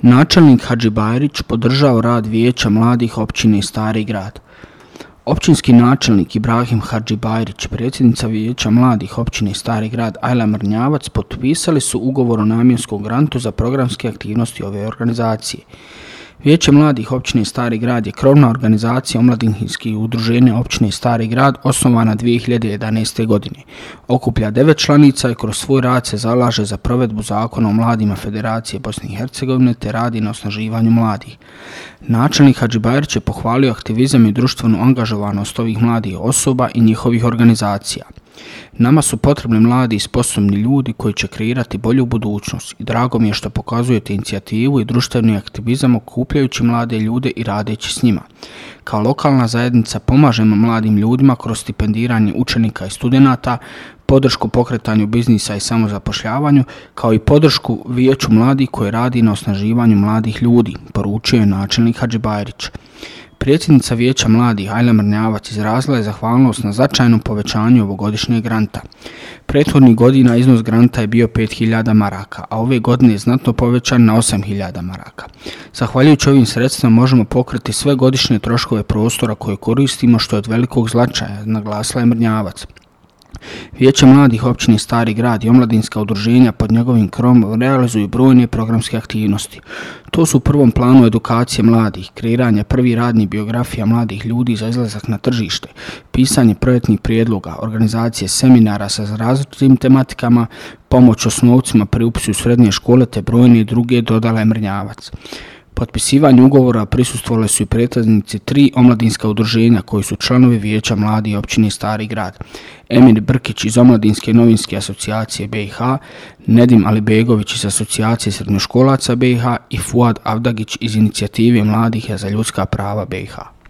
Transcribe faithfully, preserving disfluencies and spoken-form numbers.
Načelnik Hadžibajrić podržao rad Vijeća mladih općine Stari Grad. Općinski načelnik Ibrahim Hadžibajrić, predsjednica Vijeća mladih općine Stari Grad Ajla Mrnjavac potpisali su ugovor o namjenskom grantu za programske aktivnosti ove organizacije. Vijeće mladih općine Stari Grad je krovna organizacija omladinskih udruženja općine Stari Grad osnovana dvije hiljade jedanaeste. godine. Okuplja devet članica i kroz svoj rad se zalaže za provedbu zakona o mladima Federacije Bosne i Hercegovine te radi na osnaživanju mladih. Načelnik Hadžibajrić je pohvalio aktivizam i društvenu angažovanost ovih mladih osoba i njihovih organizacija. Nama su potrebni mladi i sposobni ljudi koji će kreirati bolju budućnost i drago mi je što pokazujete inicijativu i društveni aktivizam okupljajući mlade ljude i radeći s njima. Kao lokalna zajednica pomažemo mladim ljudima kroz stipendiranje učenika i studenata, podršku pokretanju biznisa i samozapošljavanju, kao i podršku Vijeću mladih koji radi na osnaživanju mladih ljudi, poručio je načelnik Hadžibajrić. Predsjednica Vijeća mladih Ajla Mrnjavac izrazila je zahvalnost na značajnom povećanju ovogodišnjeg granta. Prethodnih godina iznos granta je bio pet hiljada maraka, a ove godine je znatno povećan na osam hiljada maraka. Zahvaljujući ovim sredstvima možemo pokriti sve godišnje troškove prostora koje koristimo, što je od velikog značaja, naglasila je Mrnjavac. Vijeće mladih općine Stari Grad i omladinska udruženja pod njegovim krovom realizuju brojne programske aktivnosti. To su u prvom planu edukacije mladih, kreiranje prvih radnih biografija mladih ljudi za izlazak na tržište, pisanje projektnih prijedloga, organizacije seminara sa različitim tematikama, pomoć osnovcima pri upisu u srednje škole te brojne druge, dodala je Mrnjavac. Potpisivanju ugovora prisustvovali su i predstavnici tri omladinska udruženja koji su članovi Vijeća mladih općine Stari Grad. Emir Brkić iz Omladinske novinske asocijacije B i H, Nedim Alibegović iz Asocijacije srednjoškolaca B i H i Fuad Avdagić iz Inicijative mladih za ljudska prava B i H.